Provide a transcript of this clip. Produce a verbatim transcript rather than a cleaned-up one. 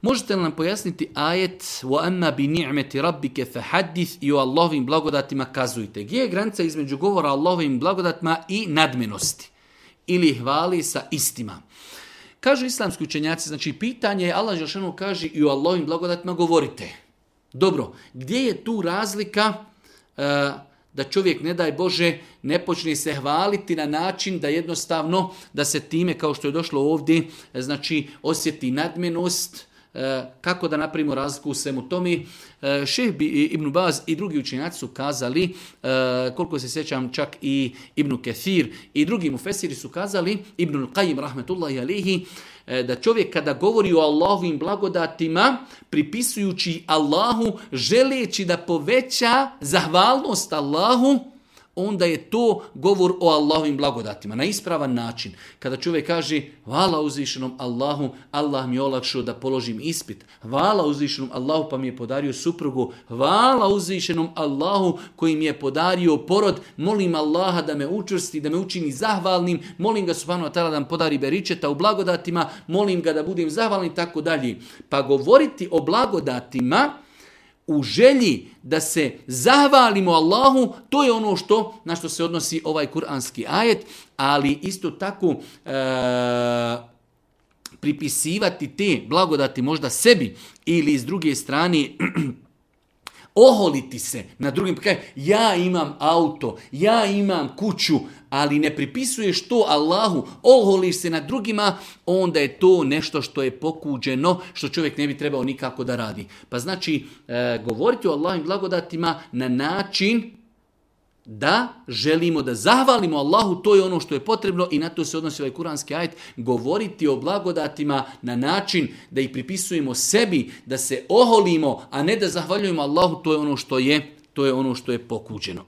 Možete li nam pojasniti ajet وَأَمَّا بِنِعْمَةِ رَبِّكَ فَحَدِّثْ i o Allahovim blagodatima kazujte. Gdje je granica između govora o Allahovim blagodatima i nadmenosti? Ili hvali sa istima? Kažu islamski učenjaci, znači pitanje je, Allah dželešanu kaže i o Allahovim blagodatima govorite. Dobro, gdje je tu razlika uh, da čovjek, ne daj Bože, ne počne se hvaliti na način da jednostavno, da se time, kao što je došlo ovdje, znači osjeti nadmenost, kako da napravimo razliku u svemu tome. Šejh Ibn Baz i drugi učenjaci su kazali, koliko se sjećam čak i Ibn Kathir i drugi mufesiri su kazali, Ibn Qayyim rahmetullahi alihi, da čovjek kada govori o Allahovim blagodatima, pripisujući Allahu, želeći da poveća zahvalnost Allahu, onda je to govor o Allahovim blagodatima, na ispravan način. Kada čovjek kaže, hvala uzvišenom Allahu, Allah mi je olakšao da položim ispit. Hvala uzvišenom Allahu pa mi je podario suprugu. Hvala uzvišenom Allahu koji mi je podario porod. Molim Allaha da me učvrsti, da me učini zahvalnim. Molim ga subhanahu wa ta'ala da mi podari beričeta u blagodatima. Molim ga da budem zahvalnim, tako dalje. Pa govoriti o blagodatima u želji da se zahvalimo Allahu, to je ono što na što se odnosi ovaj kuranski ajet, ali isto tako e, pripisivati te blagodati možda sebi ili s druge strane oholiti se na drugim, ja imam auto, ja imam kuću, ali ne pripisuješ to Allahu, oholiš se na drugima, onda je to nešto što je pokuđeno, što čovjek ne bi trebao nikako da radi. Pa znači, e, govoriti o Allahovim blagodatima na način da želimo da zahvalimo Allahu, to je ono što je potrebno i na to se odnosi ovaj kuranski ajet. Govoriti o blagodatima na način da ih pripisujemo sebi, da se oholimo, a ne da zahvaljujemo Allahu, to je ono što je, to je ono što je pokuđeno.